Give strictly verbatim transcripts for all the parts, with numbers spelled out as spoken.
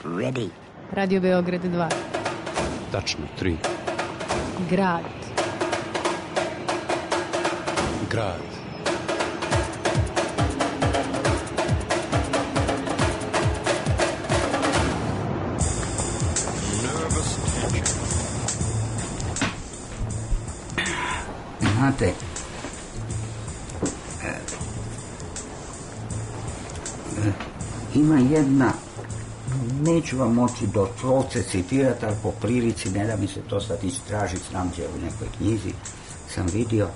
Ready. Radio Beograd dva. Tačno, tri. Grad. Grad. Znate, e, e, ima jedna, neću vam moći do slovce citirati, ali po prilici, ne da mi se to sad istražiti, znam gdje u nekoj knjizi sam vidio,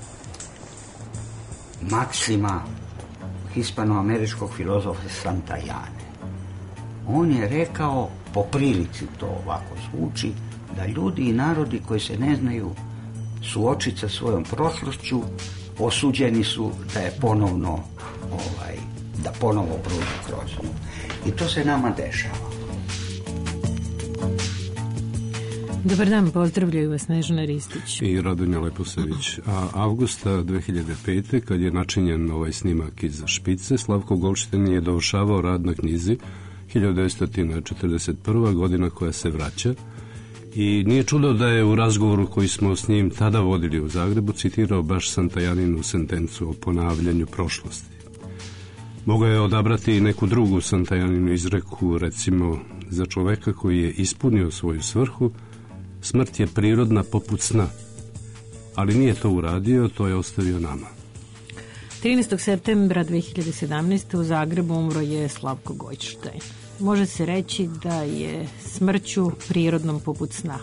maksima hispanoameričkog filozofa Santayane. On je rekao, po prilici to ovako zvuči, da ljudi i narodi koji se ne znaju suočiti sa svojom prošlošću, osuđeni su da je ponovno, ovaj, da ponovo prođu kroz nju. I to se nama dešava. Dobar dan, pozdravljaju vas Snežana Ristić i Radonja Leposević. A avgusta dve hiljade pete. kad je načinjen ovaj snimak iz Špice, Slavko Goldstein je dovršavao rad na knjizi hiljadu devetsto četrdeset prva. godina koja se vraća. I nije čudo da je u razgovoru koji smo s njim tada vodili u Zagrebu citirao baš Santajaninu sentencu o ponavljanju prošlosti. Mogao je odabrati i neku drugu Santajaninu izreku, recimo, za čoveka koji je ispunio svoju svrhu, smrt je prirodna poput sna. Ali nije to uradio, to je ostavio nama. trinaestog septembra dve hiljade sedamnaeste. u Zagrebu umro je Slavko Goldstein. Može se reći da je smrću prirodnom poput sna.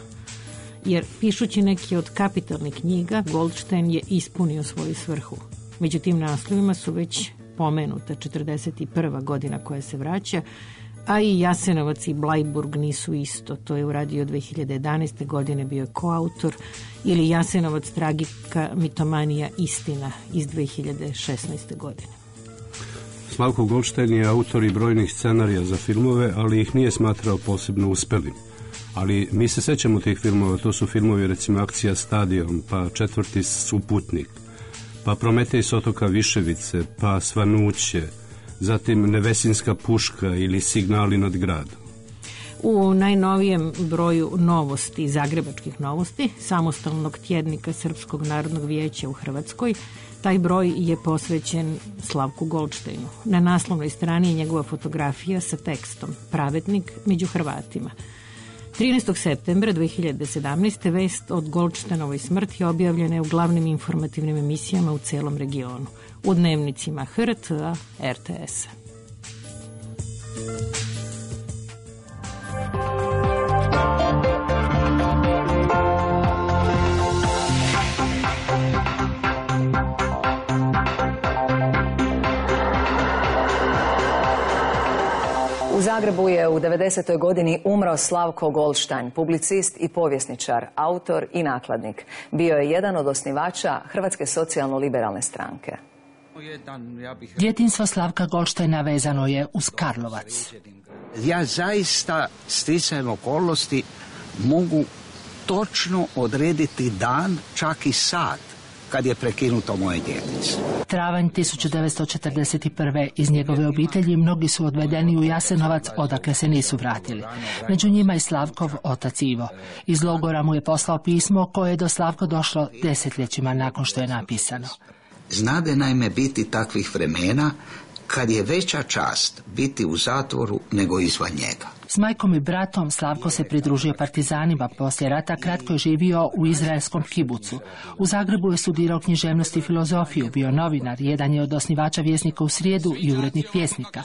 Jer pišući neki od kapitalnih knjiga, Goldstein je ispunio svoju svrhu. Među tim naslovima su već pomenuta četrdeset prva. godina koja se vraća, a i Jasenovac i Blajburg nisu isto. To je uradio dve hiljade jedanaeste. godine, bio je koautor, ili Jasenovac, tragika, mitomanija, istina iz dve hiljade šesnaeste. godine. Slavko Goldstein je autor i brojnih scenarija za filmove, ali ih nije smatrao posebno uspelim. Ali mi se sećamo tih filmova, to su filmovi recimo Akcija Stadion, pa Četvrti suputnik, pa Prometej s otoka Viševice, pa Svanuće, zatim Nevesinska puška ili Signali nad gradom. U najnovijem broju Novosti, Zagrebačkih novosti, samostalnog tjednika Srpskog narodnog vijeća u Hrvatskoj, taj broj je posvećen Slavku Goldsteinu. Na naslovnoj strani je njegova fotografija sa tekstom Pravednik među Hrvatima. trinaestog septembra dve hiljade sedamnaeste. vest od Goldsteinovoj smrti objavljena je u glavnim informativnim emisijama u celom regionu, u dnevnicima H R T-a, R T S-a. U Zagrebu je u devedesetoj godini umro Slavko Goldstein, publicist i povjesničar, autor i nakladnik. Bio je jedan od osnivača Hrvatske socijalno-liberalne stranke. Djetinjstvo Slavka Goldsteina vezano je uz Karlovac. Ja zaista sticajem okolnosti mogu točno odrediti dan, čak i sat, kad je prekinuto moje djetinjstvo. Travanj tisuću devetsto četrdeset prve. iz njegove obitelji mnogi su odvedeni u Jasenovac, odakle se nisu vratili. Među njima i Slavkov otac Ivo. Iz logora mu je poslao pismo koje je do Slavko došlo desetljećima nakon što je napisano. Znade naime biti takvih vremena kad je veća čast biti u zatvoru nego izvan njega. S majkom i bratom Slavko se pridružio partizanima. Poslije rata kratko je živio u izraelskom kibucu. U Zagrebu je studirao književnost i filozofiju, bio novinar, jedan je od osnivača Vjesnika u srijedu i urednik Vjesnika.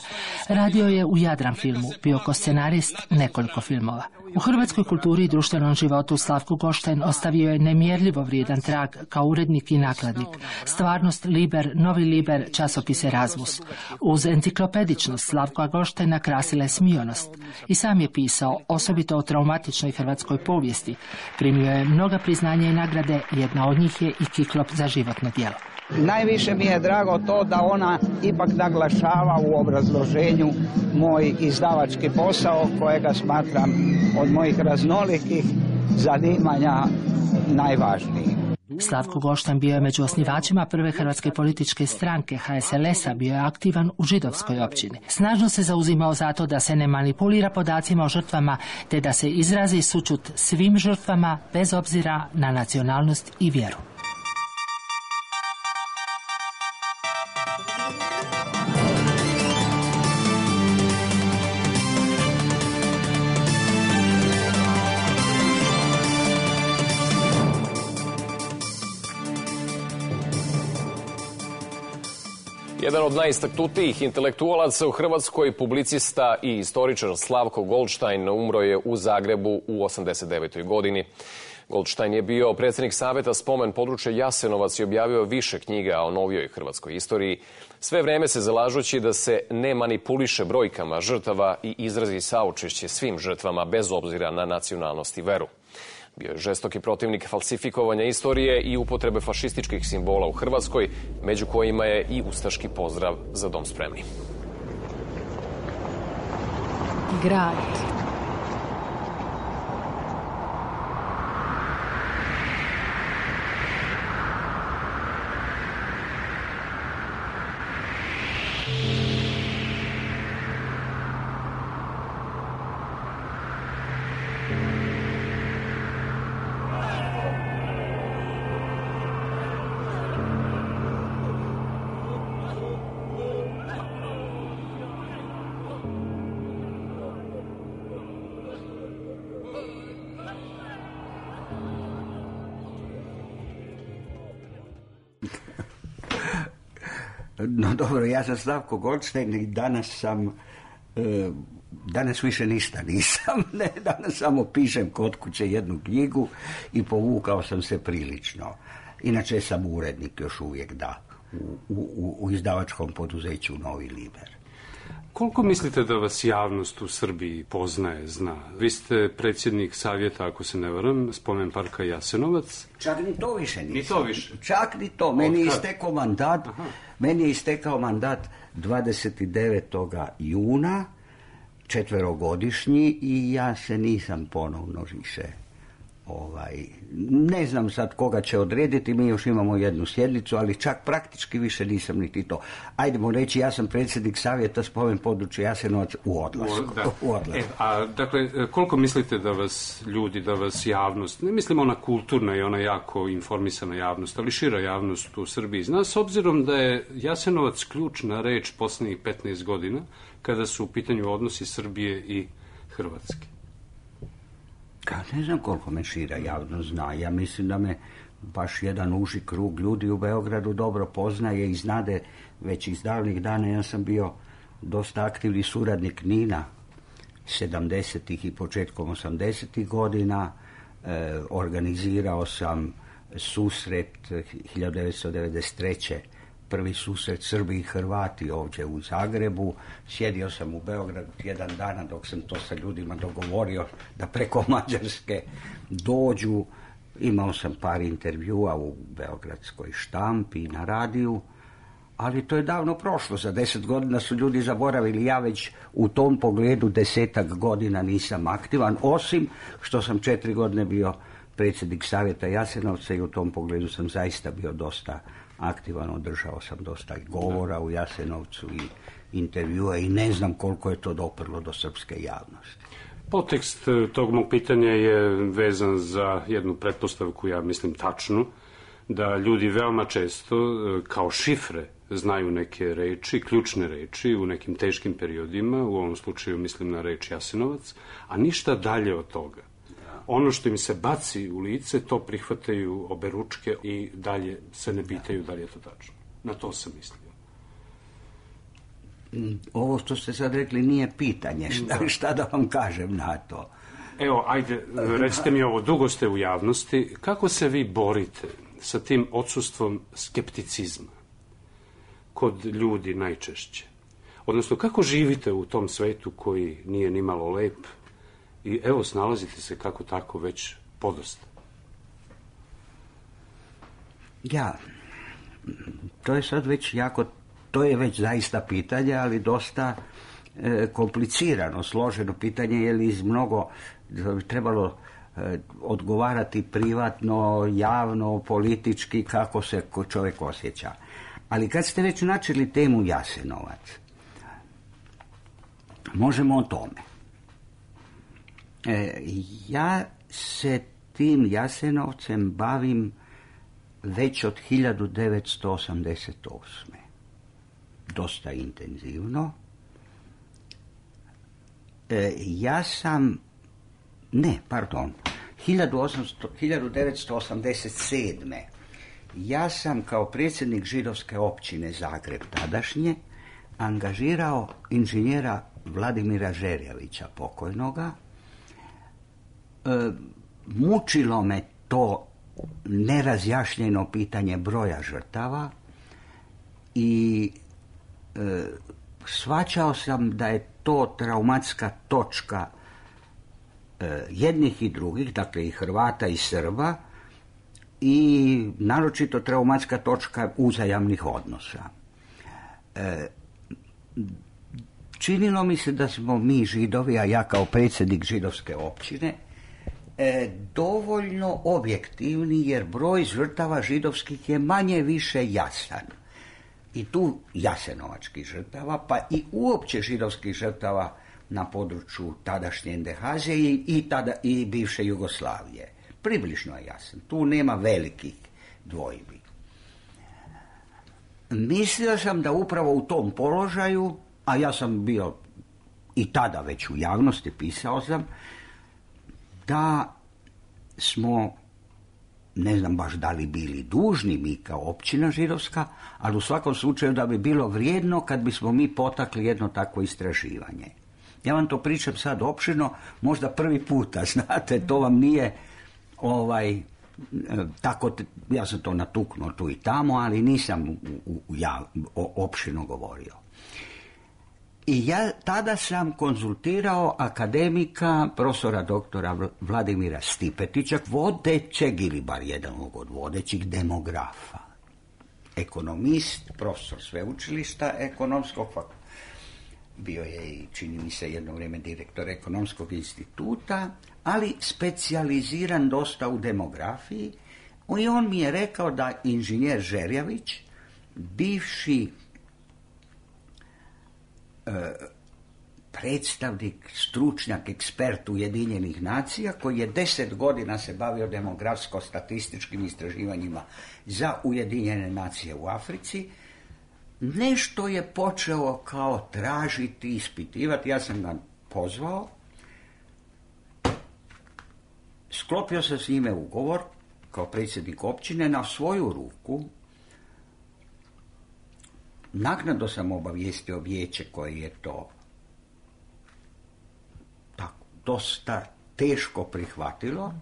Radio je u Jadran filmu, bio ko scenarist nekoliko filmova. U hrvatskoj kulturi i društvenom životu Slavko Goldstein ostavio je nemjerljivo vrijedan trag kao urednik i nakladnik. Stvarnost, Liber, Novi Liber, časopise Razvus. Uz enciklopedičnost Slavka Goldsteina krasila je smionost. I sam je pisao, osobito o traumatičnoj hrvatskoj povijesti. Primio je mnoga priznanja i nagrade, jedna od njih je i Kiklop za životno djelo. Najviše mi je drago to da ona ipak naglašava u obrazloženju moj izdavački posao, kojega smatram od mojih raznolikih zanimanja najvažnijim. Slavko Golštajn bio je među osnivačima prve hrvatske političke stranke H S L S-a, bio je aktivan u židovskoj općini. Snažno se zauzimao za to da se ne manipulira podacima o žrtvama, te da se izrazi sućut svim žrtvama bez obzira na nacionalnost i vjeru. Jedan od najistaknutijih intelektualaca u Hrvatskoj, publicista i istoričar Slavko Golštajn, umro je u Zagrebu u osamdeset devetoj godini. Golštajn je bio predsjednik Savjeta spomen područja Jasenovac i objavio više knjiga o novijoj hrvatskoj istoriji, sve vrijeme se zalažući da se ne manipuliše brojkama žrtava i izrazi saučešće svim žrtvama bez obzira na nacionalnost i veru. Bio je žestoki protivnik falsifikovanja istorije i upotrebe fašističkih simbola u Hrvatskoj, među kojima je i ustaški pozdrav Za dom spremni. Grad. No dobro, ja sam Slavko Golštajn i danas sam, e, danas više ništa nisam, ne, danas samo pišem kod kuće jednu knjigu i povukao sam se prilično. Inače sam urednik još uvijek, da, u, u, u izdavačkom poduzeću Novi Liber. Koliko mislite da vas javnost u Srbiji poznaje, zna? Vi ste predsjednik Savjeta, ako se ne varam, spomen parka Jasenovac. Čak ni to više nisam. Ni to više? Čak ni to. Meni je istekao mandat, Aha. meni je istekao mandat dvadeset devetog juna, četverogodišnji, i ja se nisam ponovno više ovaj, ne znam sad koga će odrediti, mi još imamo jednu sjednicu, ali čak praktički više nisam niti to. Ajdemo reći, ja sam predsjednik Savjeta spomen područja Jasenovac u odlasku. U odlasku. E, a dakle, koliko mislite da vas ljudi, da vas javnost, ne mislim ona kulturna i ona jako informisana javnost, ali šira javnost u Srbiji zna, s obzirom da je Jasenovac ključna reč posljednjih petnaest godina, kada su u pitanju odnosi Srbije i Hrvatske? Ja ne znam koliko me šira javnost zna. Ja mislim da me baš jedan uži krug ljudi u Beogradu dobro poznaje i znade već iz davnih dana. Ja sam bio dosta aktivni suradnik Nina sedamdesetih i početkom osamdesetih godina. E, organizirao sam susret hiljadu devetsto devedeset treće prvi susret Srbi i Hrvati ovdje u Zagrebu. Sjedio sam u Beogradu tjedan dana dok sam to sa ljudima dogovorio da preko Mađarske dođu. Imao sam par intervjua u beogradskoj štampi i na radiju, ali to je davno prošlo. Za deset godina su ljudi zaboravili. Ja već u tom pogledu desetak godina nisam aktivan, osim što sam četiri godine bio predsjednik Savjeta Jasenovca i u tom pogledu sam zaista bio dosta aktivan, održao sam dosta i govora u Jasenovcu i intervjua i ne znam koliko je to doprlo do srpske javnosti. Podtekst tog mog pitanja je vezan za jednu pretpostavku, ja mislim tačnu, da ljudi veoma često kao šifre znaju neke reči, ključne reči u nekim teškim periodima, u ovom slučaju mislim na reč Jasenovac, a ništa dalje od toga. Ono što im se baci u lice, to prihvataju oberučke i dalje se ne pitaju da li je to tačno. Na to sam mislio. Ovo što ste sad rekli nije pitanje. Šta da, šta da vam kažem na to? Evo, ajde, recite mi ovo, dugo ste u javnosti. Kako se vi borite sa tim odsustvom skepticizma kod ljudi najčešće? Odnosno, kako živite u tom svetu koji nije nimalo lep i evo, snalazite se kako tako već podosta? Ja, to je sad već jako, to je već zaista pitanje, ali dosta e, komplicirano, složeno pitanje, jer iz mnogo, da bi trebalo odgovarati privatno, javno, politički, kako se čovjek osjeća. Ali kad ste već načeli temu Jasenovac, možemo o tome. E, ja se tim Jasenovcem bavim već od hiljadu devetsto osamdeset osme. Dosta intenzivno. E, ja sam, ne, pardon, hiljadu devetsto osamdeset sedme. Ja sam kao predsjednik židovske općine Zagreb tadašnje angažirao inženjera Vladimira Žerjavića, pokojnoga. E, mučilo me to nerazjašnjeno pitanje broja žrtava i e, shvaćao sam da je to traumatska točka e, jednih i drugih, dakle i Hrvata i Srba, i naročito traumatska točka uzajamnih odnosa. E, činilo mi se da smo mi Židovi, a ja kao predsjednik židovske općine, e, dovoljno objektivni, jer broj žrtava židovskih je manje više jasan. I tu jasenovačkih žrtava, pa i uopće židovskih žrtava na području tadašnje Endehazije i, i, tada, i bivše Jugoslavije. Približno je jasan. Tu nema velikih dvojbi. Mislio sam da upravo u tom položaju, a ja sam bio i tada već u javnosti, pisao sam, da smo, ne znam baš da li bili dužni mi kao općina židovska, ali u svakom slučaju da bi bilo vrijedno kad bismo mi potakli jedno takvo istraživanje. Ja vam to pričam sad opširno, možda prvi puta, znate, to vam nije ovaj, tako, ja sam to natuknuo tu i tamo, ali nisam u, u, ja, opširno govorio. I ja tada sam konzultirao akademika, profesora doktora Vladimira Stipetića, vodećeg ili bar jedan od vodećih demografa. Ekonomist, profesor sveučilišta ekonomskog fakulteta. Bio je i, čini mi se, jedno vrijeme direktor ekonomskog instituta, ali specijaliziran dosta u demografiji. I on mi je rekao da inženjer Žerjavić, bivši predstavnik, stručnjak, ekspert Ujedinjenih nacija, koji je deset godina se bavio demografsko-statističkim istraživanjima za Ujedinjene nacije u Africi, nešto je počeo kao tražiti, ispitivati. Ja sam ga pozvao, sklopio sam s njime ugovor kao predsjednik općine na svoju ruku. Naknadno sam obavijestio vijeće koje je to tako dosta teško prihvatilo.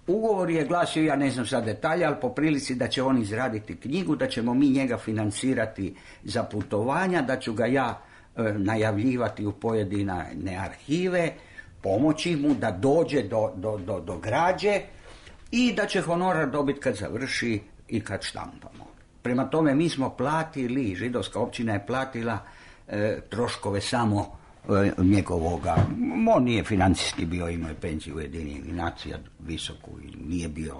Ugovor je glasio, ja ne znam sad detalje, ali po prilici da će on izraditi knjigu, da ćemo mi njega financirati za putovanja, da ću ga ja e, najavljivati u pojedine arhive, pomoći mu da dođe do, do, do, do građe i da će honorar dobiti kad završi i kad štampamo. Prema tome mi smo platili, židovska općina je platila e, troškove samo e, njegovoga. On nije financijski bio, imao je penziju Ujedinjenih nacija visoku i nije bio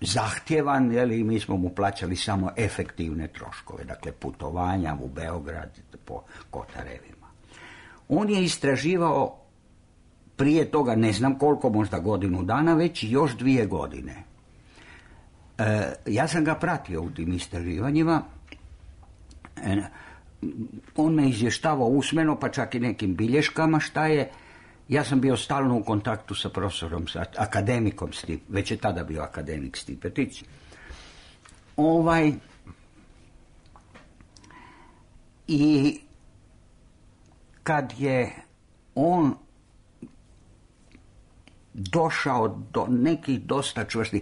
zahtjevan, jeli, mi smo mu plaćali samo efektivne troškove, dakle putovanja u Beograd po Kotarevima. On je istraživao prije toga, ne znam koliko, možda godinu dana, već još dvije godine. E, ja sam ga pratio u tim istraživanjima. E, on me izvještavao usmeno, pa čak i nekim bilješkama šta je. Ja sam bio stalno u kontaktu sa profesorom, sa akademikom Stip, već je tada bio akademik Stipetić. Ovaj, i kad je on došao do nekih dosta čvrstih,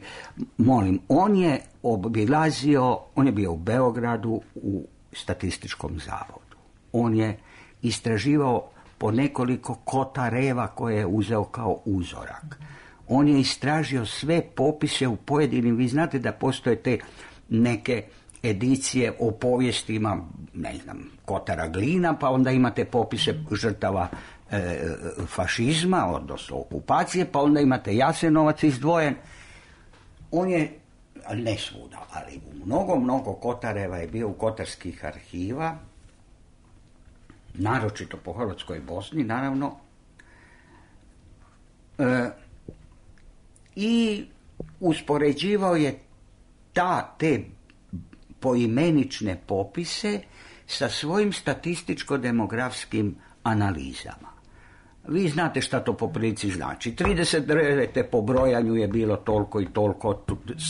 molim, on je obilazio, on je bio u Beogradu u statističkom zavodu. On je istraživao po nekoliko Kotareva koje je uzeo kao uzorak. On je istražio sve popise u pojedinim, vi znate da postoje te neke edicije o povijestima, ne znam, Kotara Glina, pa onda imate popise žrtava e, fašizma, odnosno okupacije, pa onda imate Jasenovac izdvojen. On je, ne svuda, ali u mnogo, mnogo Kotareva je bio u kotarskih arhiva, naročito po Hrvatskoj i Bosni, naravno. E, I uspoređivao je ta, te poimenične popise sa svojim statističko-demografskim analizama. Vi znate šta to po prilici znači. trideset devete po brojanju je bilo toliko i toliko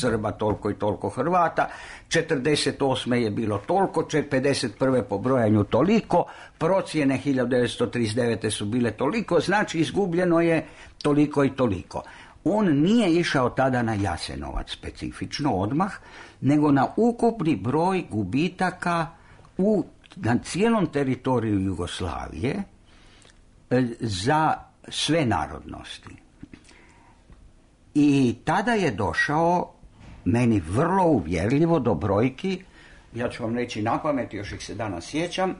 Srba, toliko i toliko Hrvata, četrdeset osme je bilo toliko, pedeset prve po brojanju toliko, procjene hiljadu devetsto trideset devete su bile toliko, znači izgubljeno je toliko i toliko. On nije išao tada na Jasenovac specifično odmah, nego na ukupni broj gubitaka u, na cijelom teritoriju Jugoslavije za sve narodnosti. I tada je došao, meni vrlo uvjerljivo, do brojki, ja ću vam reći na pamet, još ih se danas sjećam,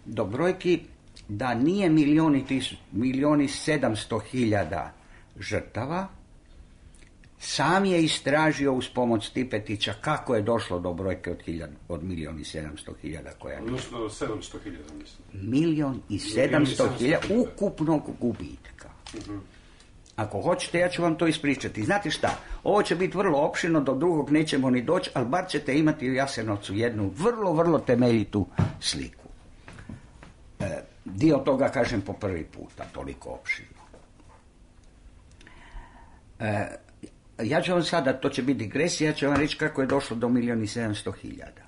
do brojki da nije milijuni, milijuni sedamsto hiljada žrtava. Sam je istražio uz pomoć Stipetića kako je došlo do brojke od, hiljad, od milijun i sedamsto hiljada koja je. Odnosno sedamsto hiljada, mislim. Milijon i sedamsto hiljada ukupnog gubitka. Uh-huh. Ako hoćete, ja ću vam to ispričati. Znate šta, ovo će biti vrlo opširno, do drugog nećemo ni doći, ali bar ćete imati u Jasenovcu jednu vrlo, vrlo temeljitu sliku. E, dio toga kažem po prvi puta, toliko opširno. E, Ja ću vam sada, to će biti digresija, ja ću vam reći kako je došlo do milijun i sedamsto hiljada.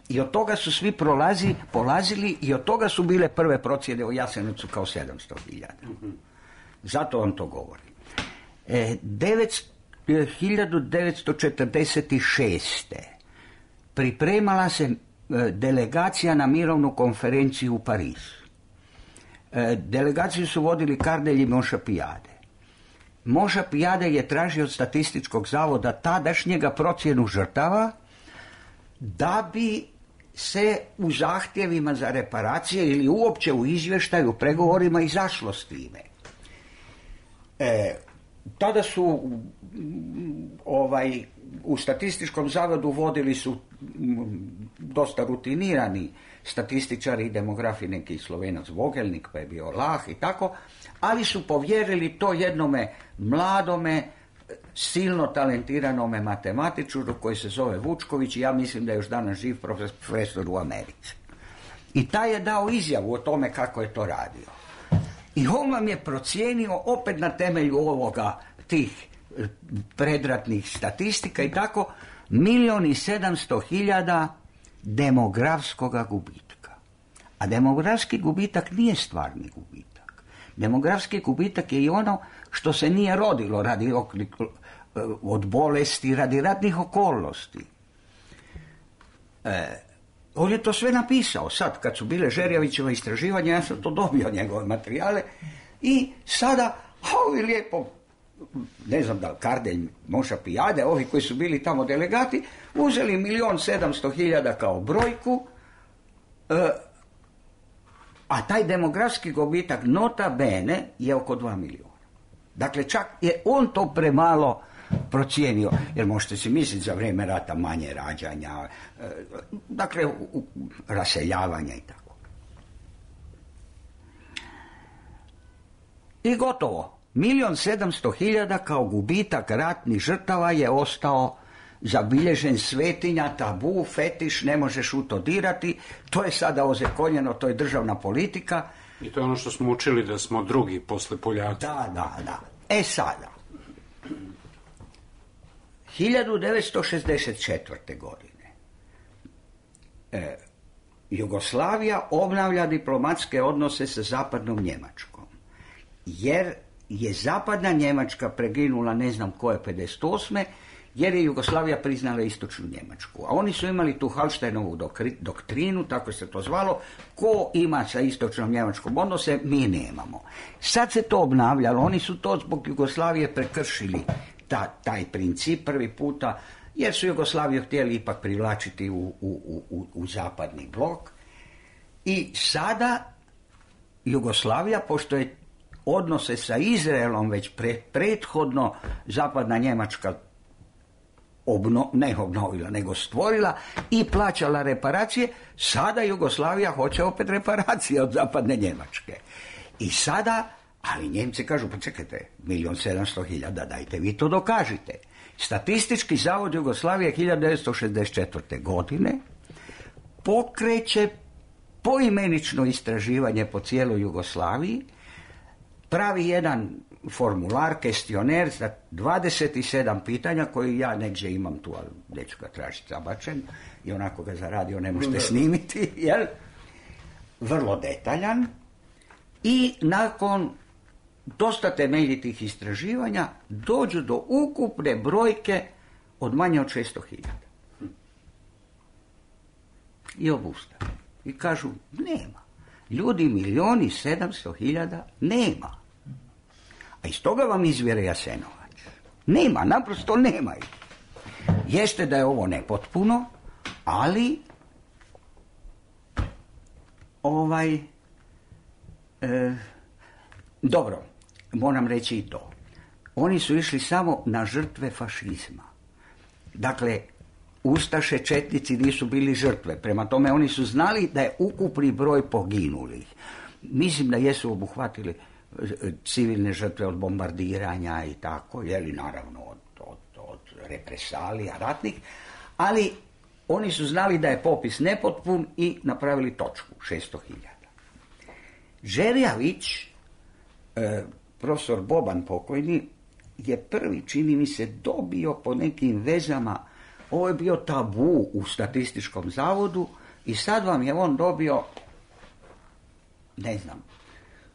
I od toga su svi prolazi, polazili i od toga su bile prve procjene o Jasenovcu kao sedamsto hiljada. Zato vam to govorim. E, hiljadu devetsto četrdeset šeste. pripremala se e, delegacija na mirovnu konferenciju u Parizu. E, delegaciju su vodili Kardelj i Moša Pijade. Moša Pijade je tražio od statističkog zavoda tadašnjega procjenu žrtava da bi se u zahtjevima za reparacije ili uopće u izvještaju, u pregovorima izašlo s time. E, tada su ovaj, u statističkom zavodu vodili su dosta rutinirani statističari i demografi, neki Slovenac Vogelnik, pa je bio Lah i tako, ali su povjerili to jednome mladome, silno talentiranome matematičaru koji se zove Vučković i ja mislim da je još danas živ profesor u Americi. I taj je dao izjavu o tome kako je to radio. I on vam je procijenio opet na temelju ovoga, tih predratnih statistika i tako, milijon i sedamsto hiljada demografskoga gubitka. A demografski gubitak nije stvarni gubitak. Demografski gubitak je i ono što se nije rodilo radi od bolesti, radi ratnih okolnosti. E, on je to sve napisao. Sad, kad su bile Žerjavićeva istraživanja, ja sam to dobio, njegove materijale, i sada, a ovi lijepo, ne znam da li Kardelj, Moša Pijade, ovi koji su bili tamo delegati, uzeli milijon sedamsto hiljada kao brojku, e, a taj demografski gubitak nota bene je oko dva milijuna. Dakle, čak je on to premalo procijenio, jer možete si misliti za vrijeme rata manje rađanja, e, dakle, u, u, raseljavanja i tako. I gotovo. Milijon sedamsto hiljada kao gubitak ratnih žrtava je ostao zabilježen, svetinja, tabu, fetiš, ne možeš u to dirati, to je sada ozakonjeno, to je državna politika. I to je ono što smo učili da smo drugi posle Poljaka. Da, da, da. E sada, hiljadu devetsto šezdeset četvrte. godine e, Jugoslavija obnavlja diplomatske odnose sa zapadnom Njemačkom, jer je zapadna Njemačka preginula ne znam koje pedeset osme jer je Jugoslavija priznala istočnu Njemačku. A oni su imali tu Hallsteinovu doktrinu, tako se to zvalo, ko ima sa istočnom Njemačkom odnose, mi nemamo. Sad se to obnavljalo, oni su to zbog Jugoslavije prekršili ta, taj princip prvi puta jer su Jugoslaviju htjeli ipak privlačiti u, u, u, u zapadni blok. I sada Jugoslavija, pošto je odnose sa Izraelom već pre, prethodno zapadna Njemačka obno, ne obnovila, nego stvorila i plaćala reparacije, sada Jugoslavija hoće opet reparacije od zapadne Njemačke. I sada, ali Njemci kažu, pa čekajte, milijon sedamsto hiljada, dajte vi to dokažite. Statistički zavod Jugoslavije hiljadu devetsto šezdeset četvrte. godine pokreće poimenično istraživanje po cijeloj Jugoslaviji, pravi jedan formular, kestioner za dvadeset sedam pitanja koji ja negdje imam tu, ali neću ga tražiti zabačen i onako ga za radio ne možete snimiti, jel? Vrlo detaljan. I nakon dosta temeljitih istraživanja dođu do ukupne brojke od manje od šesto hiljada. I obustave. I kažu, nema. Ljudi milioni sedamsto hiljada nema. A iz toga vam izvjere Jasenovac. Nema, naprosto nema ih. Jeste da je ovo nepotpuno, ali ovaj e, dobro, moram reći i to. Oni su išli samo na žrtve fašizma. Dakle, ustaše, četnici nisu bili žrtve. Prema tome, oni su znali da je ukupni broj poginulih. Mislim da jesu obuhvatili civilne žrtve od bombardiranja i tako, jeli naravno od, od, od represalija ratnih, ali oni su znali da je popis nepotpun i napravili točku, šesto hiljada. Žerjavić, e, profesor Boban pokojni, je prvi, čini mi se, dobio po nekim vezama, ovo je bio tabu u statističkom zavodu i sad vam je on dobio, ne znam,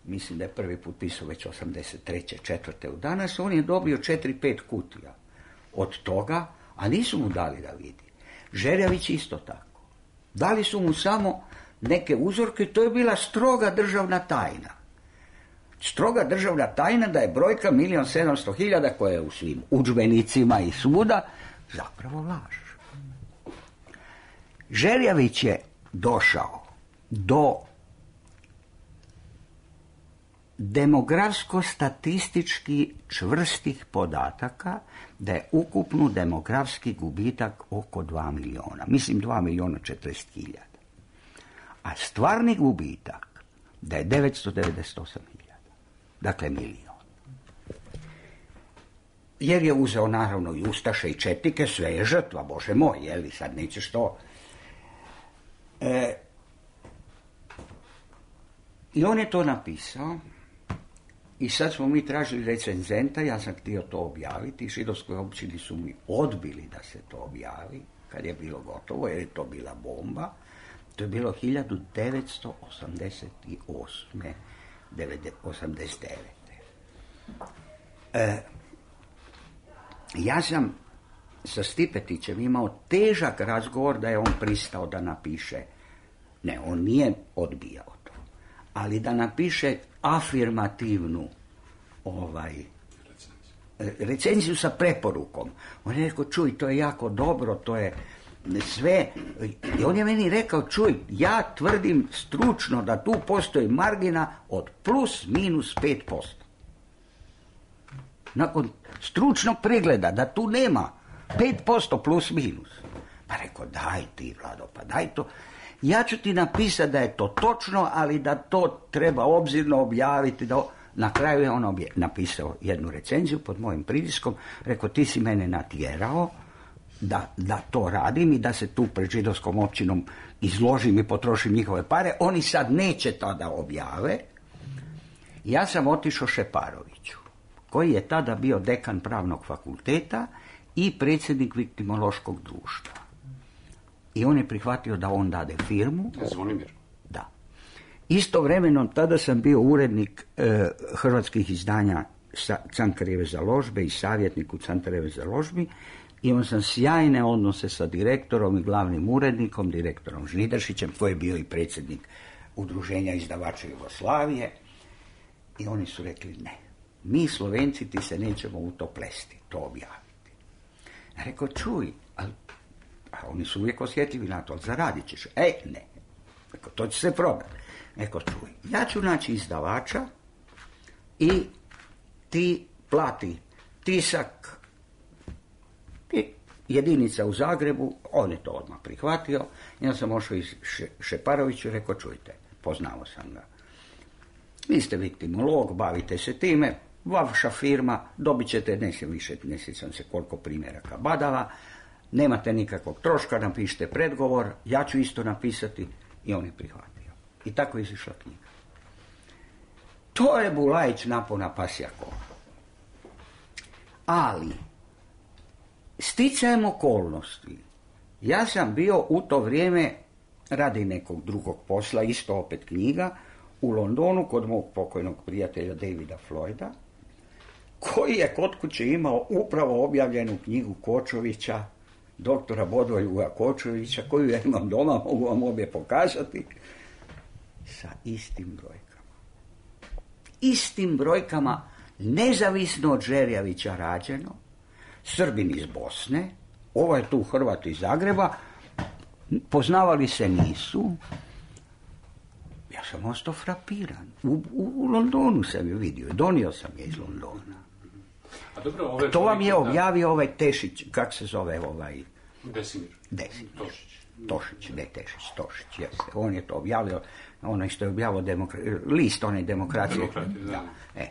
mislim da je prvi put pisao već osamdeset treće četvrte u danas, on je dobio četiri pet kutija od toga, a nisu mu dali da vidi. Žerjavić isto tako. Dali su mu samo neke uzorke, to je bila stroga državna tajna. Stroga državna tajna da je brojka milijon sedamsto hiljada koja je u svim udžbenicima i svuda zapravo laž. Žerjavić je došao do demografsko-statistički čvrstih podataka da je ukupno demografski gubitak oko dva miliona. Mislim dva miliona četrdeset hiljada. A stvarni gubitak da je devetsto devedeset osam hiljada. Dakle, milion. Jer je uzeo naravno i ustaše i četnike, sve je žrtva, Bože moj, jeli sad nećeš to. E, I on je to napisao. I sad smo mi tražili recenzenta, ja sam htio to objaviti, i židovskoj općini su mi odbili da se to objavi, kad je bilo gotovo, jer je to bila bomba. To je bilo hiljadu devetsto osamdeset osme. osamdeset devete. E, ja sam sa Stipetićem imao težak razgovor da je on pristao da napiše, ne, on nije odbijao to, ali da napiše afirmativnu ovaj, recenziju sa preporukom. On je rekao, čuj, to je jako dobro, to je sve. I on je meni rekao, čuj, ja tvrdim stručno da tu postoji margina od plus minus pet posto. Nakon stručnog pregleda da tu nema pet posto plus minus. Pa rekao, daj ti, Vlado, pa daj to. Ja ću ti napisati da je to točno, ali da to treba obzirno objaviti. Da... Na kraju je on obje... napisao jednu recenziju pod mojim pritiskom. Rekao, ti si mene natjerao da, da to radim i da se tu pred židovskom općinom izložim i potrošim njihove pare. Oni sad neće to da objave. Ja sam otišao Šeparoviću, koji je tada bio dekan pravnog fakulteta i predsjednik viktimološkog društva. I on je prihvatio da on dade firmu. Zvonimir. Da. Istovremeno tada sam bio urednik e, hrvatskih izdanja Cankarjeve založbe i savjetnik u Cankarjeve založbi. Imao sam sjajne odnose sa direktorom i glavnim urednikom, direktorom Žnidaršićem, koji je bio i predsjednik Udruženja izdavača Jugoslavije. I oni su rekli, ne, mi Slovenci ti se nećemo u to plesti, to objaviti. Ja rekao, čuj, ali, a oni su uvijek osjetljivi na to, ali zaradit ćeš. E, ne. Rekao, to će se prodati. Rekao, čuj, ja ću naći izdavača i ti plati tisak i jedinica u Zagrebu, on je to odmah prihvatio. Ja sam ošao iz Šeparoviću i rekao, čujte, poznao sam ga. Vi ste viktimolog, bavite se time, vaša firma, dobit ćete, ne se više, ne sjećam se koliko primjeraka badava, nemate nikakvog troška, napišite predgovor, ja ću isto napisati i on je prihvatio. I tako je izišla knjiga. To je Bulajić napona pasja kola. Ali, sticajem okolnosti, ja sam bio u to vrijeme, radi nekog drugog posla, isto opet knjiga, u Londonu kod mog pokojnog prijatelja Davida Floyda, koji je kod kuće imao upravo objavljenu knjigu Kočovića, doktora Bodoljuga Kočovića, koju ja imam doma, mogu vam obje pokazati, sa istim brojkama. Istim brojkama, nezavisno od Žerjavića rađeno, Srbin iz Bosne, ovaj tu Hrvat iz Zagreba, poznavali se nisu. Ja sam ostao frapiran. U, u, u Londonu sam je vidio, donio sam je iz Londona. A dobro, ove to vam je da... objavio ovaj Tešić, kak se zove ovaj... Desimir. Desimir. Tošić. Tošić, ne Tešić, Tošić, jeste. On je to objavio, ono što je objavio demokra... list, onaj demokracije. Demokratije, da. da. E.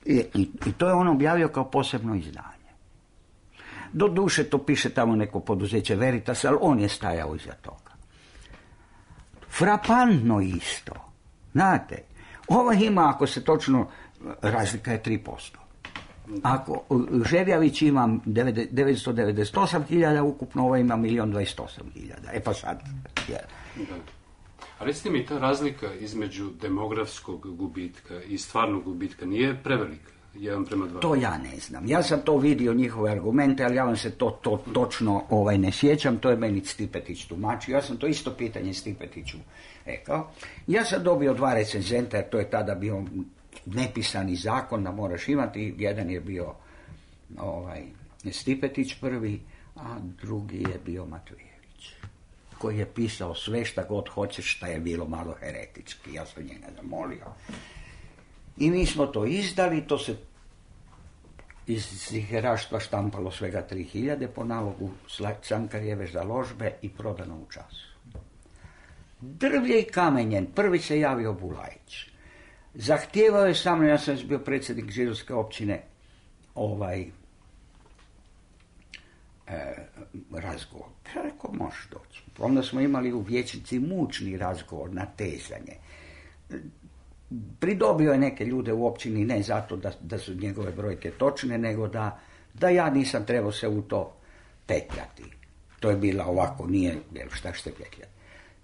I, i, I to je on objavio kao posebno izdanje. Do duše to piše tamo neko poduzeće Veritas, ali on je stajao iza toga. Frapantno isto. Znate, ovo ima, ako se točno, razlika je tri posto. Ako Žerjavić ima devetsto devedeset osam hiljada ukupno, ovo ima milijon dvadeset osam hiljada. E pa sad... Ja. A recite mi, ta razlika između demografskog gubitka i stvarnog gubitka nije prevelika? Jedan prema dva. To ja ne znam. Ja sam to vidio, njihove argumente, ali ja vam se to, to točno ovaj, ne sjećam. To je meni Stipetić tumačio. Ja sam to isto pitanje Stipetiću rekao. Ja sam dobio dva recenzenta, jer to je tada bio nepisani zakon da moraš imati. Jedan je bio ovaj, Stipetić prvi, a drugi je bio Matvejević, koji je pisao sve šta god hoćeš, šta je bilo malo heretički. Ja sam njega zamolio. I mi smo to izdali, to se iz ziheraštva štampalo svega tri hiljade po nalogu Cankarjeve založbe i prodano u času. Drvlje i kamenjen, prvi se javio Bulajić. Zahtijevao je samo, ja sam bio predsjednik židovske općine, ovaj e, razgovor. Ja rekao, možeš doći. Onda smo imali u vijećnici mučni razgovor na tezanje. Pridobio je neke ljude u općini, ne zato da, da su njegove brojke točne, nego da, da ja nisam trebao se u to petljati. To je bila ovako, nije, šta ćete petljati.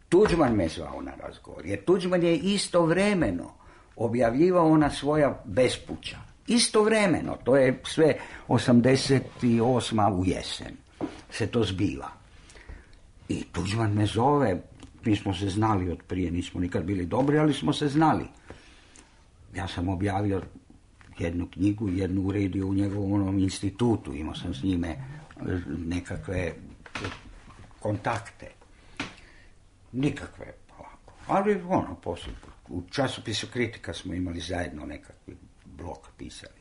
Tuđman me zvao na razgovor, jer Tuđman je istovremeno objavljivao ona svoja bespuća. Istovremeno, to je sve osamdeset osma u jesen se to zbiva. I Tuđman me zove, mi smo se znali od prije, nismo nikad bili dobri, ali smo se znali. Ja sam objavio jednu knjigu, jednu uredio u njegovom onom institutu, imao sam s njime nekakve kontakte. Nikakve, ovako. Ali ono, poslije, u časopisu Kritika smo imali zajedno nekakvi blok pisali.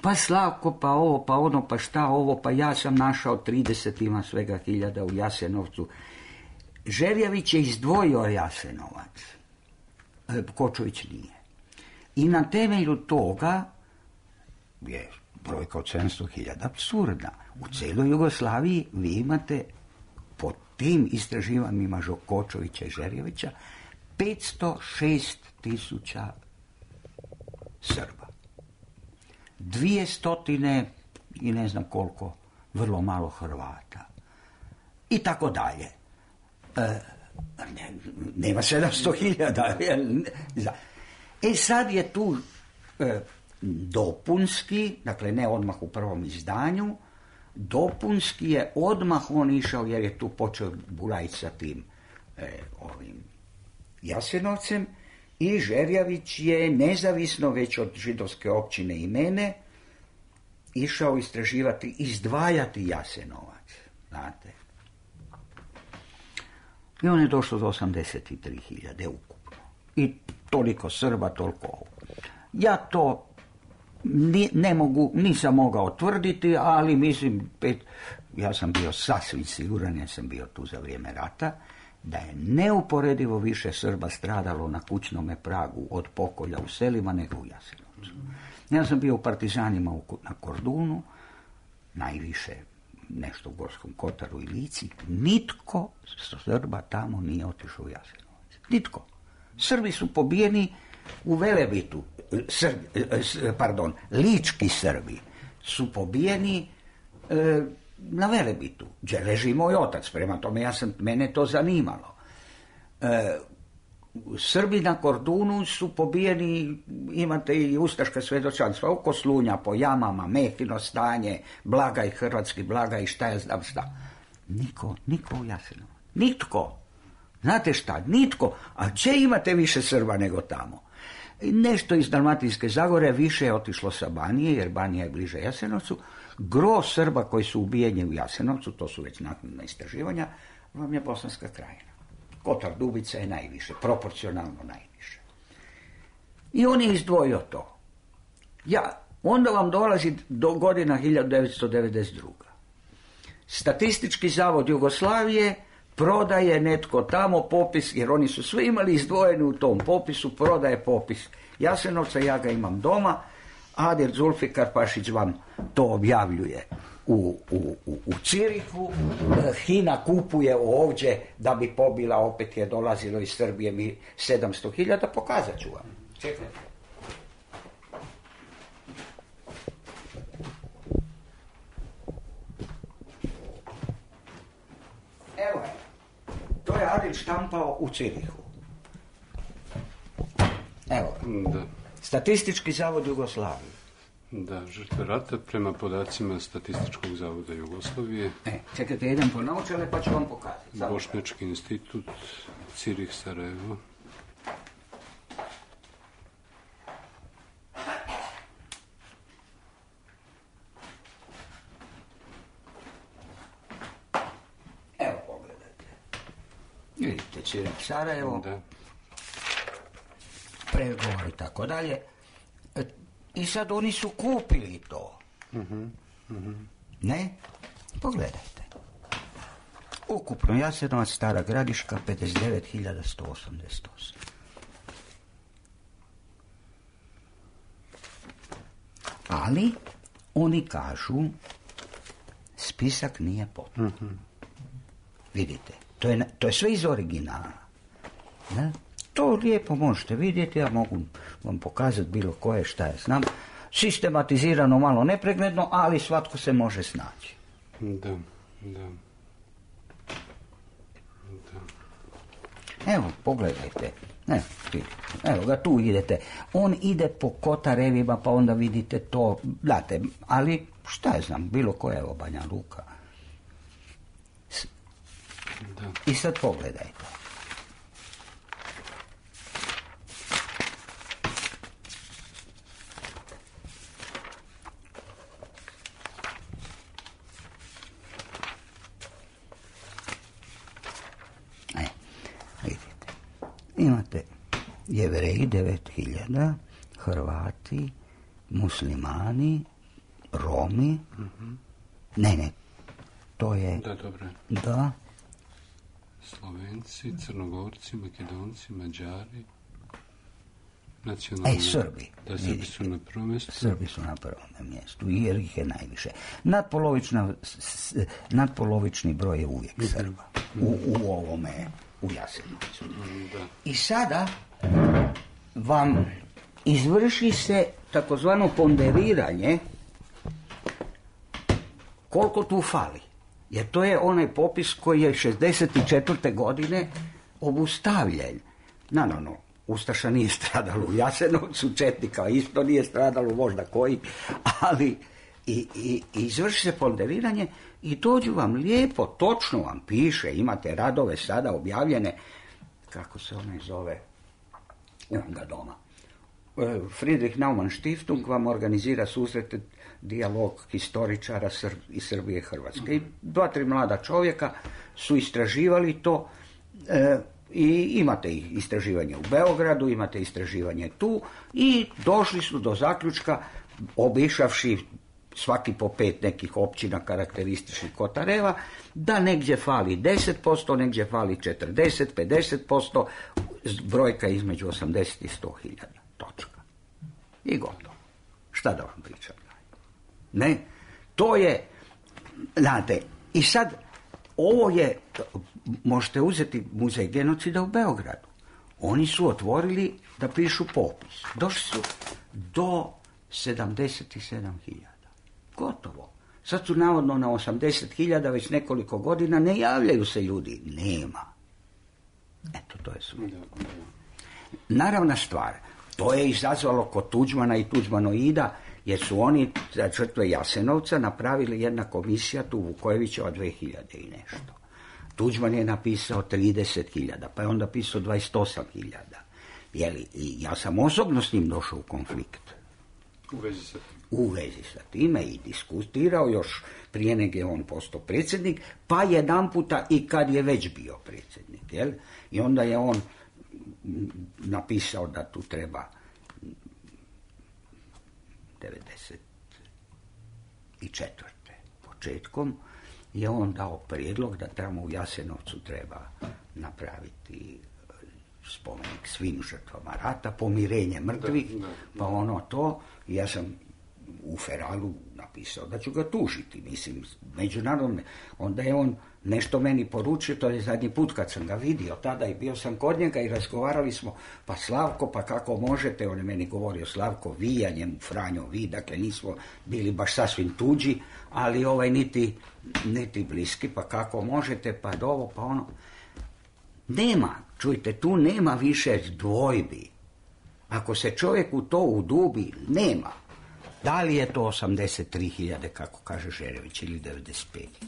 Pa Slavko, pa ovo, pa ono, pa šta ovo, pa ja sam našao trideset ima svega hiljada u Jasenovcu. Žerjavić je izdvojio Jasenovac. Kočović nije. I na temelju toga je brojka od sedamsto hiljada apsurdna. U cijeloj Jugoslaviji vi imate po tim istraživanjima Kočovića i Žerjavića petsto šest tisuća Srba. Dvije stotine i ne znam koliko, vrlo malo Hrvata. I tako dalje. E, ne, nema sedamsto hiljada. E sad je tu e, dopunski, dakle ne odmah u prvom izdanju, dopunski je odmah on išao, jer je tu počeo Bulajić sa tim e, ovim Jasenovcem, i Žerjavić je nezavisno već od židovske općine i mene išao istraživati, izdvajati Jasenovac, znate. I on je došao do osamdeset tri hiljade ukupno. I toliko Srba, toliko ovo. Ja to ni, ne mogu, nisam mogao tvrditi, ali mislim, pet, ja sam bio sasvim siguran, ja sam bio tu za vrijeme rata, da je neuporedivo više Srba stradalo na kućnome pragu od pokolja u selima nego u Jasenovcu. Ja sam bio u partizanima na Kordunu, najviše nešto u Gorskom Kotaru i Lici. Nitko Srba tamo nije otišao u Jasenovac. Nitko. Srbi su pobijeni u Velebitu. Srbi, pardon, lički Srbi su pobijeni e, na Velebitu, gdje leži moj otac, prema tome ja sam, mene to zanimalo. E, Srbi na Kordunu su pobijeni, imate i ustaška svjedočanstva oko Slunja, po jamama, Mehino stanje, Blagaj, hrvatski Blagaj, šta ja znam šta. Niko, niko u Jasenovac. Nitko. Znate šta, nitko. A gdje imate više Srba nego tamo? Nešto iz Dalmatinske Zagore više je otišlo sa Banije, jer Banija je bliže Jasenovcu. Gro Srba koji su ubijeni u Jasenovcu, to su već naknadna istraživanja, vam je Bosanska Krajina. Kotar Dubica je najviše, proporcionalno najviše. I on je izdvojio to. Ja, onda vam dolazi do godina hiljadu devetsto devedeset druga. Statistički zavod Jugoslavije prodaje netko tamo popis, jer oni su svi imali izdvojeni u tom popisu, prodaje popis Jasenovca, ja ga imam doma, Adil Zulfikar Pašić vam to objavljuje u, u, u, u Cirihu, Hina kupuje ovdje da bi pobila, opet je dolazilo iz Srbije mi sedamsto hiljada, pokazat ću vam. Čekajte. Evo je, to je Adil štampao u Cirihu. Evo, da. Statistički zavod Jugoslavije. Da, žrtve rata prema podacima Statističkog zavoda Jugoslavije. E, čekajte, jedan po naučale pa ću vam pokazati. Bošnjački institut, Cirih, Sarajevo. Evo, pogledajte. Vidite, Cirih, Sarajevo. Da. Pregovor i tako dalje. I sad oni su kupili to. Uh-huh. Uh-huh. Ne? Pogledajte. Ukupno Jasenovac, Stara Gradiška, pedeset devet hiljada sto osamdeset osam. Ali oni kažu spisak nije potpun. Uh-huh. Vidite, to je, to je sve iz originala. Ne? To lijepo možete vidjeti, ja mogu vam pokazati bilo koje, šta ja znam. Sistematizirano, malo nepregledno, ali svatko se može snaći. Da, da. Da. Evo, pogledajte. Evo, evo ga, tu idete. On ide po Kotarevima, pa onda vidite to, date, ali šta ja znam, bilo koje, evo Banja Luka. Da. I sad pogledajte. Imate Jevreji devet hiljada, Hrvati, Muslimani, Romi. Uh-huh. Ne, ne, to je... Da, dobro. Da. Slovenci, Crnogorci, Makedonci, Mađari, nacionalni... Ej, Srbi. Da, Srbi su na prvom mjestu. Srbi su na prvom mjestu, jer ih je najviše. Nadpolovična, nadpolovični broj je uvijek Srba. U, u ovome... u Jasenovcu. I sada vam izvrši se takozvano ponderiranje koliko tu fali. Jer to je onaj popis koji je šezdeset četvrte godine obustavljen. Naravno, Ustaša nije stradalo u Jasenovcu, četnika isto nije stradalo, možda koji, ali i, i, i izvrši se ponderiranje i dođu vam lijepo, točno vam piše, imate radove sada objavljene, kako se onaj zove, imam ga doma, Friedrich Naumann Stiftung vam organizira susrete, dijalog historičara iz Srbije i Hrvatske. I dva, tri mlada čovjeka su istraživali to e, i imate istraživanje u Beogradu, imate istraživanje tu i došli su do zaključka, obišavši svaki po pet nekih općina karakterističnih Kotareva, da negdje fali deset posto, negdje fali četrdeset, pedeset posto, brojka između osamdeset i sto hiljada. Točka. I gotovo. Šta da vam pričam? Ne, to je, znate, i sad ovo je, možete uzeti muzej genocida u Beogradu. Oni su otvorili da pišu popis. Došli su do sedamdeset sedam hiljada. Gotovo. Sad su navodno na osamdeset hiljada već nekoliko godina, ne javljaju se ljudi. Nema. Eto, to je sve. Naravna stvar, to je izazvalo kod Tuđmana i Tuđmanoida, jer su oni za žrtve Jasenovca napravili jedna komisija tu Vukojevićeva dve hiljade i nešto. Tuđman je napisao trideset hiljada, pa je onda pisao dvadeset osam hiljada. Jeli, i ja sam osobno s njim došao u konflikt. U vezi sa tim. U vezi sa time i diskutirao još prije nego je on postao predsjednik, pa jedan puta i kad je već bio predsjednik. Jel? I onda je on napisao da tu treba devedeset četvrte početkom je on dao prijedlog da tamo u Jasenovcu treba napraviti spomenik svim žrtvama rata, pomirenje mrtvih, da, da. Pa ono to, ja sam u Feralu napisao da ću ga tužiti, mislim, međunarodne. Onda je on nešto meni poručio, to je zadnji put kad sam ga vidio, tada i bio sam kod njega i razgovarali smo, pa Slavko, pa kako možete, on je meni govorio Slavko, vi, ja njemu Franjo, vi, dakle nismo bili baš sasvim tuđi, ali ovaj niti, niti bliski, pa kako možete, pa ovo, pa ono. Nema, čujte, tu nema više dvojbi. Ako se čovjek u to udubi, nema. Da li je to osamdeset tri hiljade, kako kaže Žerević, ili devedeset pet?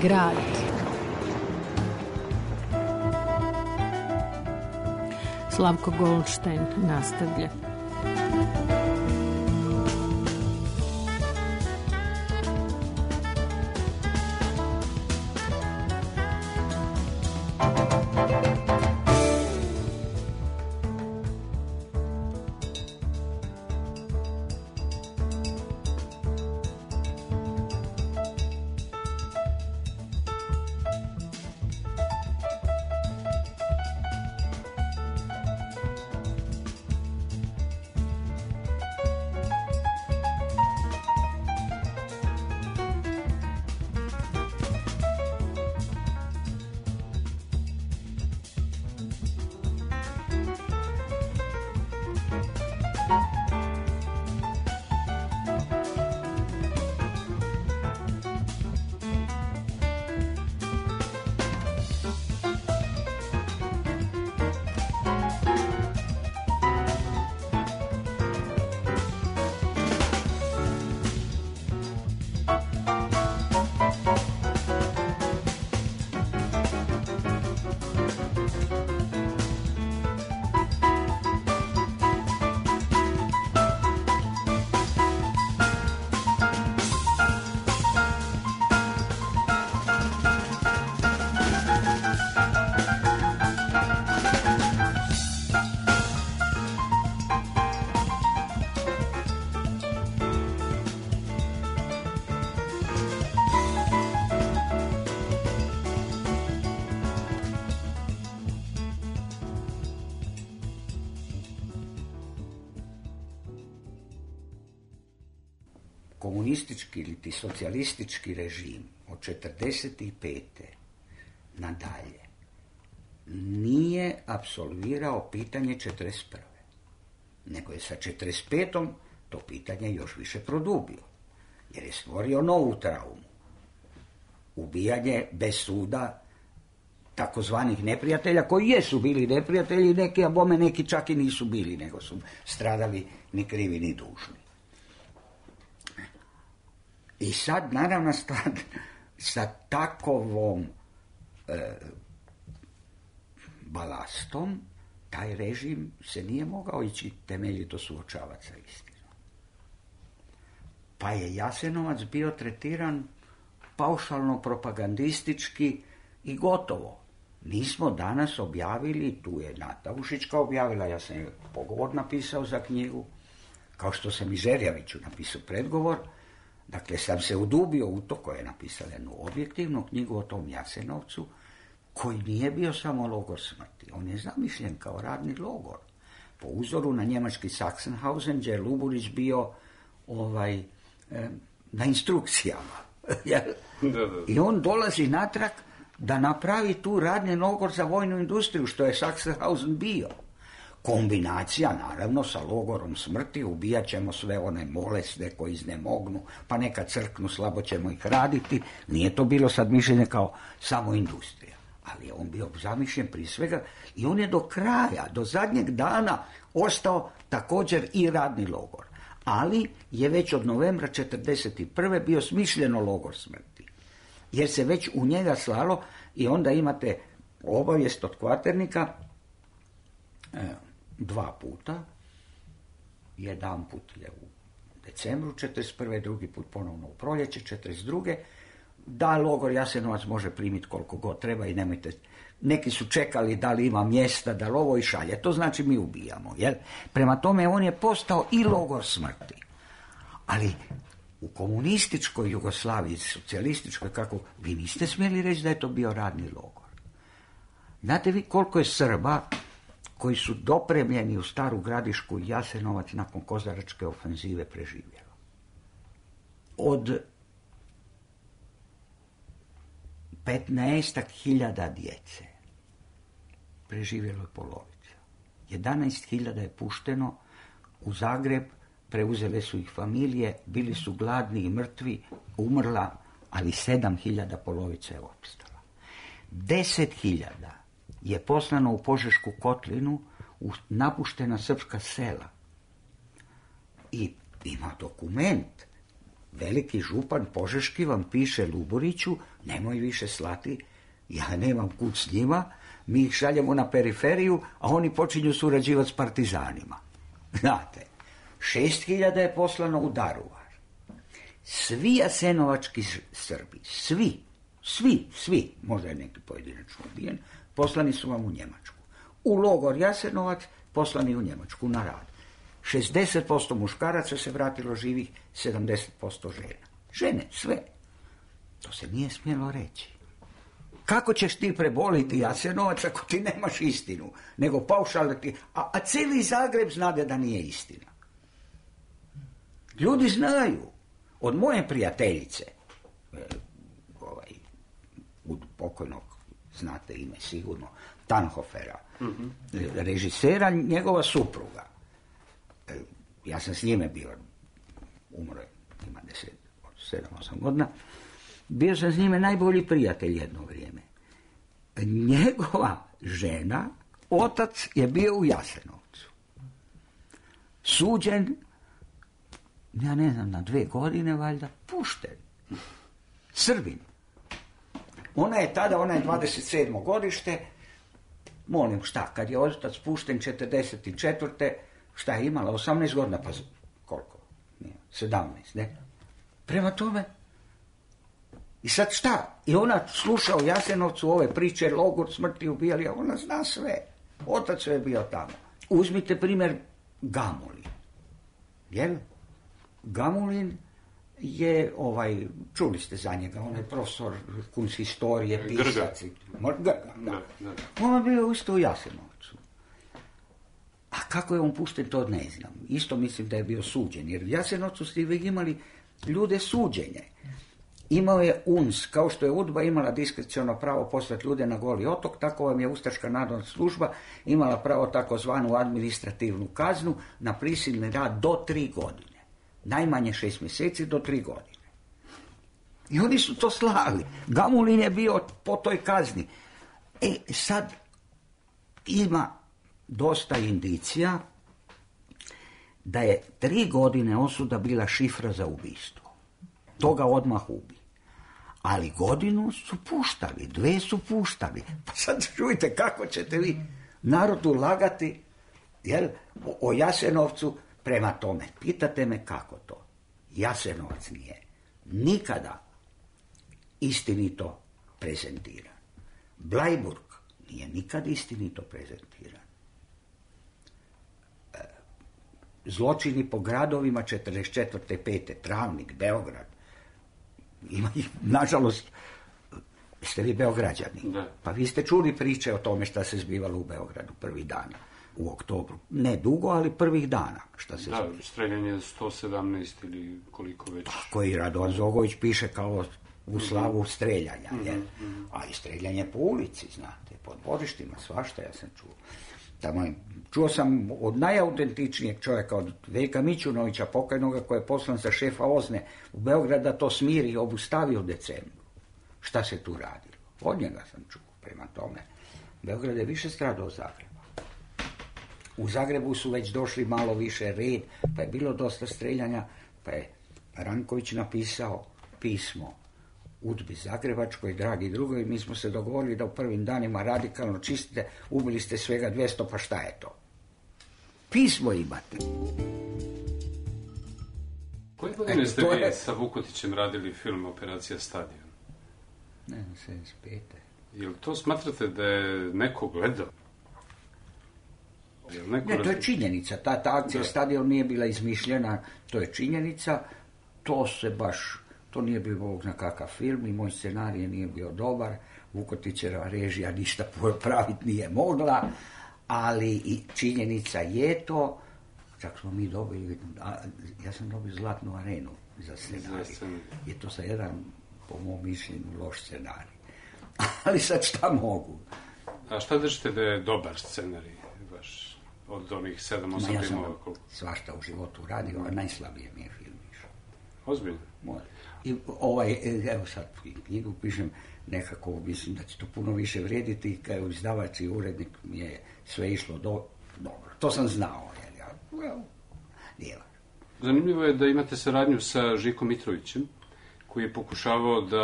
Grad. Slavko Goldstein nastavlja. komunistički ili ti socijalistički režim od četrdeset pete nadalje nije apsolvirao pitanje četrdeset prve nego je sa četrdeset petom to pitanje još više produbio, jer je stvorio novu traumu. Ubijanje bez suda takozvanih neprijatelja, koji jesu bili neprijatelji, neki, a bome neki čak i nisu bili, nego su stradali ni krivi ni dužni. I sad, naravno, stvar, sa takovom e, balastom, taj režim se nije mogao ići temeljito suočavati sa istinom. Pa je Jasenovac bio tretiran paušalno propagandistički i gotovo. Mi smo danas objavili, tu je Nata Ušička objavila, ja sam je pogovor napisao za knjigu, kao što sam i Žerjaviću napisao predgovor, dakle sam se udubio u to, koje je napisala jednu objektivnu knjigu o tom Jasenovcu, koji nije bio samo logor smrti, on je zamišljen kao radni logor, po uzoru na njemački Sachsenhausen, gdje je Luburić bio ovaj, eh, na instrukcijama. Da, da, da. I on dolazi natrag da napravi tu radni logor za vojnu industriju, što je Sachsenhausen bio. Kombinacija, naravno, sa logorom smrti, ubijat ćemo sve one bolesne koji iznemognu, pa neka crknu, slabo ćemo ih raditi. Nije to bilo sad mišljenje kao samo industrija, ali je on bio zamišljen prije svega i on je do kraja, do zadnjeg dana ostao također i radni logor. Ali je već od novembra četrdeset prve bio smišljeno logor smrti, jer se već u njega slalo i onda imate obavijest od kvaternika e, dva puta, jedan put je u decembru četrdeset prve, drugi put ponovno u proljeće četrdeset druge, da logor Jasenovac može primiti koliko god treba i nemojte, neki su čekali da li ima mjesta, da li ovo i šalje, to znači mi ubijamo, jel? Prema tome on je postao i logor smrti, ali u komunističkoj Jugoslaviji, socijalističkoj, kako, vi niste smjeli reći da je to bio radni logor. Znate vi koliko je Srba koji su dopremljeni u Staru Gradišku i Jasenovac nakon Kozaračke ofenzive preživjelo? Od petnaestak hiljada djece preživjelo je polovica. jedanaest hiljada je pušteno u Zagreb, preuzele su ih familije, bili su gladni i mrtvi, umrla, ali sedam hiljada polovica je opstala. deset hiljada je poslano u Požešku kotlinu, u napuštena srpska sela. I ima dokument. Veliki župan Požeški vam piše Luburiću, nemoj više slati, ja nemam kud s njima, mi ih šaljemo na periferiju, a oni počinju surađivati s partizanima. Znate, šest hiljada je poslano u Daruvar. Svi jasenovački Srbi, svi, svi, svi, možda je neki pojedinačno ubijen, poslani su vam u Njemačku. U logor Jasenovac poslani u Njemačku na rad. šezdeset posto muškaraca se vratilo živih, sedamdeset posto žena. Žene, sve. To se nije smjelo reći. Kako ćeš ti preboliti Jasenovac ako ti nemaš istinu? Nego paušalno ti... A, a cijeli Zagreb znade da nije istina. Ljudi znaju. Od moje prijateljice, ovaj, od pokojnog, znate ime sigurno, Tanhofera, mm-hmm. režisera, njegova supruga. Ja sam s njime bio, umro je, ima deset, sedam, osam godina, bio sam s njime najbolji prijatelj jedno vrijeme. Njegova žena, otac je bio u Jasenovcu. Suđen, ja ne znam, na dve godine valjda, pušten. Srbin. Ona je tada, ona je dvadeset sedmo godište, molim šta, kad je otac pušten četrdeset četvrte šta je imala, osamnaest godina, pa koliko? Nije, sedamnaest, ne? Prema tome, i sad šta? I ona sluša u Jasenovcu ove priče, logor smrti ubijali, a ona zna sve. Otac je bio tamo. Uzmite primjer Gamulin. Jel? Gamulin je, ovaj, čuli ste za njega, on je profesor kunsthistorije, pisac. Grga, da. On je bio isto u Jasenovcu. A kako je on pušten, to ne znam. Isto mislim da je bio suđen, jer u Jasenovcu ste vi imali ljude suđenje. Imao je U N S, kao što je UDBA imala diskreciono pravo poslati ljude na Goli otok, tako vam je Ustaška narodna služba imala pravo takozvanu administrativnu kaznu na prisilni rad do tri godine. Najmanje šest mjeseci do tri godine. I oni su to slali. Gamulin je bio po toj kazni. E, sad ima dosta indicija da je tri godine osuda bila šifra za ubistvo. Toga odmah ubi. Ali godinu su puštali, dve su puštali. Pa sad čujte kako ćete vi narodu lagati, jel, o Jasenovcu. Prema tome, pitate me kako to. Jasenovac nije nikada istinito prezentiran. Bleiburg nije nikad istinito prezentiran. Zločini po gradovima četrdeset četvrte pete Travnik, Beograd. Ima ih, nažalost, ste vi Beograđani. Da. Pa vi ste čuli priče o tome šta se zbivalo u Beogradu prvih dana, u oktobru. Ne dugo, ali prvih dana šta se zbivalo. Da, streljanje sto sedamnaest ili koliko već. Tako i Radovan Zogović piše kao u slavu streljanja. Mm-hmm. Jer, a i streljanje po ulici, znate, pod dvorištima, svašta ja sam čuo. Tamo, čuo sam od najautentičnijeg čovjeka, od Veljka Mićunovića, pokojnoga, koji je poslan za šefa Ozne u Beograd da to smiri i obustavi u decembru. Šta se tu radilo? Od njega sam čuo. Prema tome, Beograd je više stradao od Zagreba. U Zagrebu su već došli malo više red, pa je bilo dosta streljanja, pa je Ranković napisao pismo UDBI Zagrebačkoj, dragi drugovi, mi smo se dogovorili da u prvim danima radikalno čistite, ubili ste svega dvjesto, pa šta je to? Pismo imate. Koje godine ste vi je... sa Vukotićem radili film Operacija Stadion? Ne znam, sedamdeset pete. Jel to smatrate da je neko gledao? Jel neko ne, to je razli... činjenica. Ta, ta akcija da. Stadion nije bila izmišljena, to je činjenica. To se baš... To nije bio Bog zna kakav film i moj scenarij nije bio dobar. Vukotićeva režija ništa praviti nije mogla, ali i činjenica je to. Čak smo mi dobili, ja sam dobio Zlatnu arenu za scenarij. Je to sa jedan, po mom mišljenju, loš scenarij. Ali sad šta mogu? A šta držite da je dobar scenarij baš od onih sedam osam ja filmova? Ja sam svašta u životu radio, a najslabije mi je film išao. Ozbiljno? Može. I ovaj, evo sad knjigu pišem, nekako mislim da će to puno više vrijediti, kao izdavač i urednik mi je sve išlo do, dobro. To sam znao, jer ja, well, nije. Zanimljivo je da imate saradnju sa Žikom Mitrovićem, koji je pokušavao da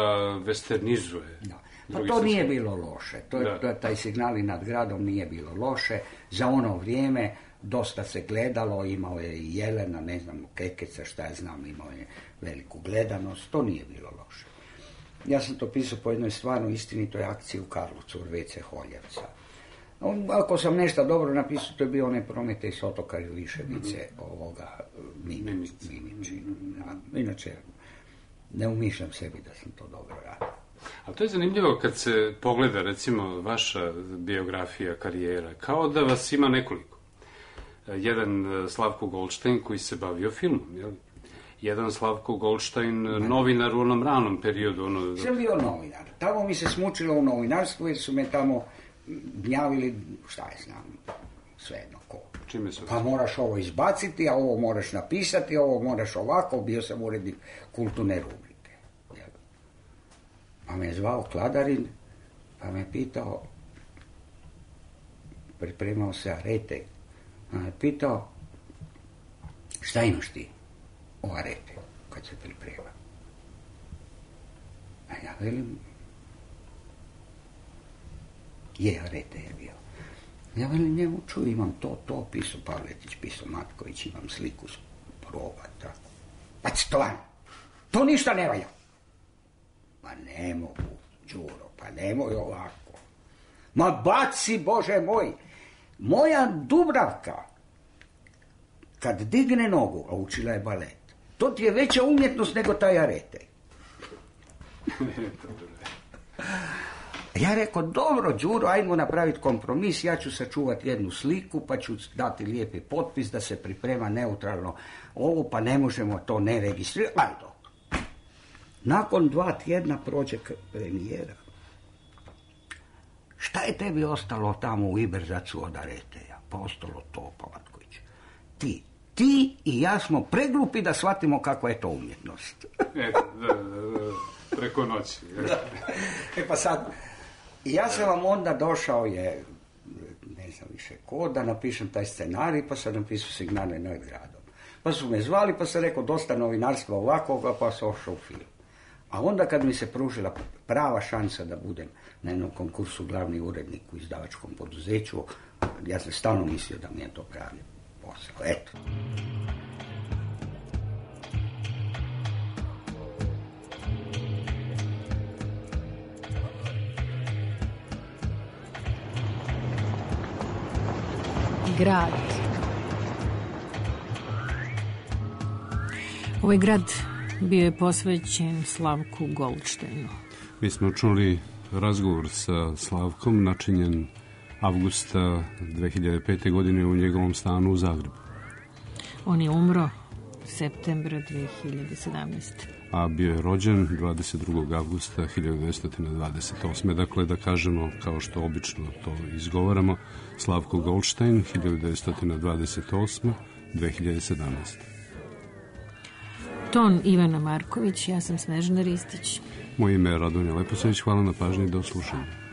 westernizuje. Da. Pa to nije bilo loše, to je, to, taj Signali nad gradom nije bilo loše, za ono vrijeme dosta se gledalo, imao je i Jelena, ne znam, Kekeca, šta ja znam, imao je veliku gledanost, to nije bilo loše. Ja sam to pisao po jednoj stvarno istinitoj akciji u Karlovcu, Urvece Holjevca. Ako sam nešto dobro napisao, to je bio onaj Prometej s otoka Viševice, mm-hmm. ovoga Mimici. Mimici. Ja, inače, ne umišljam sebi da sam to dobro radio. A to je zanimljivo kad se pogleda, recimo, vaša biografija, karijera, kao da vas ima nekoliko. Jedan Slavko Goldstein koji se bavio filmom, jel? Jedan Slavko Goldstein, novinar u onom ranom periodu. Ono... Sam bio novinar. Tamo mi se smučilo u novinarstvu jer su me tamo gnjavili, šta je znam, svejedno ko. Čime su? Pa moraš ovo izbaciti, a ovo moraš napisati, ovo moraš ovako, bio sam urednik kulturne rubrike. Jel? Pa me je zvao Kladarin, pa me je pitao, pripremao se Arete, pa me je pitao, šta imaš ti o Arete, kad se priprema? A ja velim, je Arete je bio. Ja velim njemu, čuj, imam to, to, pisao Pavletić, pisao Matković, imam sliku s proba, tako. Pa stvarno, to ništa ne valja. Ma ne mogu, Đuro, pa nemoj ovako. Ma baci, Bože moj, moja Dubravka, kad digne nogu, a učila je balet, to ti je veća umjetnost nego taj Arete. Ja rekao, dobro, Đuro, ajmo napraviti kompromis, ja ću sačuvati jednu sliku, pa ću dati lijepi potpis da se priprema neutralno ovo, pa ne možemo to ne registrirati, ali dobro. Nakon dva tjedna prođe premijera. Šta je tebi ostalo tamo u Iberzacu od Areteja? Pa ostalo to, pa Vatković. Ti, ti i ja smo preglupi da shvatimo kako je to umjetnost. E, da, da, da, preko noći. E pa sad, ja sam vam onda došao je, ne znam više ko, da napišem taj scenarij, pa sam napisao Signale nad gradom. Pa su me zvali, pa sam rekao dosta novinarstva ovakvoga, pa sam ošao u film. A onda kad mi se pružila prava šansa da budem na jednom konkursu glavni urednik u izdavačkom poduzeću, ja sam stalno mislio da mi je to pravi posao. Eto. Grad. Ovaj grad bio je posvećen Slavku Goldštajnu. Mi smo čuli razgovor sa Slavkom, načinjen avgusta dve hiljade pete. godine u njegovom stanu u Zagrebu. On je umro septembra dve hiljade sedamnaeste. A bio je rođen dvadeset drugog avgusta hiljadu devetsto dvadeset osme. Dakle, da kažemo, kao što obično to izgovaramo, Slavko Goldštajn, hiljadu devetsto dvadeset osme do dve hiljade sedamnaeste. Ton Ivana Marković, ja sam Snežana Ristić. Moje ime je Radonja Leposavić, hvala na pažnji i do slušanja.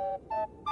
Thank you.